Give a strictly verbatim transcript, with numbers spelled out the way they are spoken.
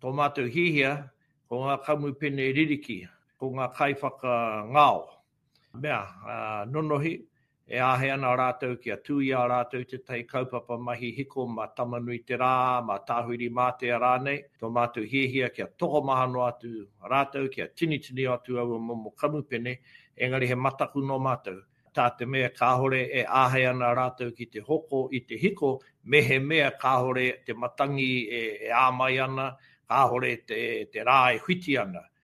Tō mātou hiahia, ko ngā kamupene ririki, ko ngā kaiwhakangao, mea, nonohi, e āhei ana rātou kia tū i a rātou tētahi kaupapa mahi hiko mā Tama-nui-te-rā, mā Tāwhirimātea rānei. Tō mātou hiahia kia tokomaha noa atu rātou, kia tinitini atu aua momo kamupene, engari he mataku nō mātou, tā te mea kāore e āhei ana rātou ki te hoko i te hiko mehemea kāore te matangi e, e āmai ana, kāore te, te rā e whiti ana.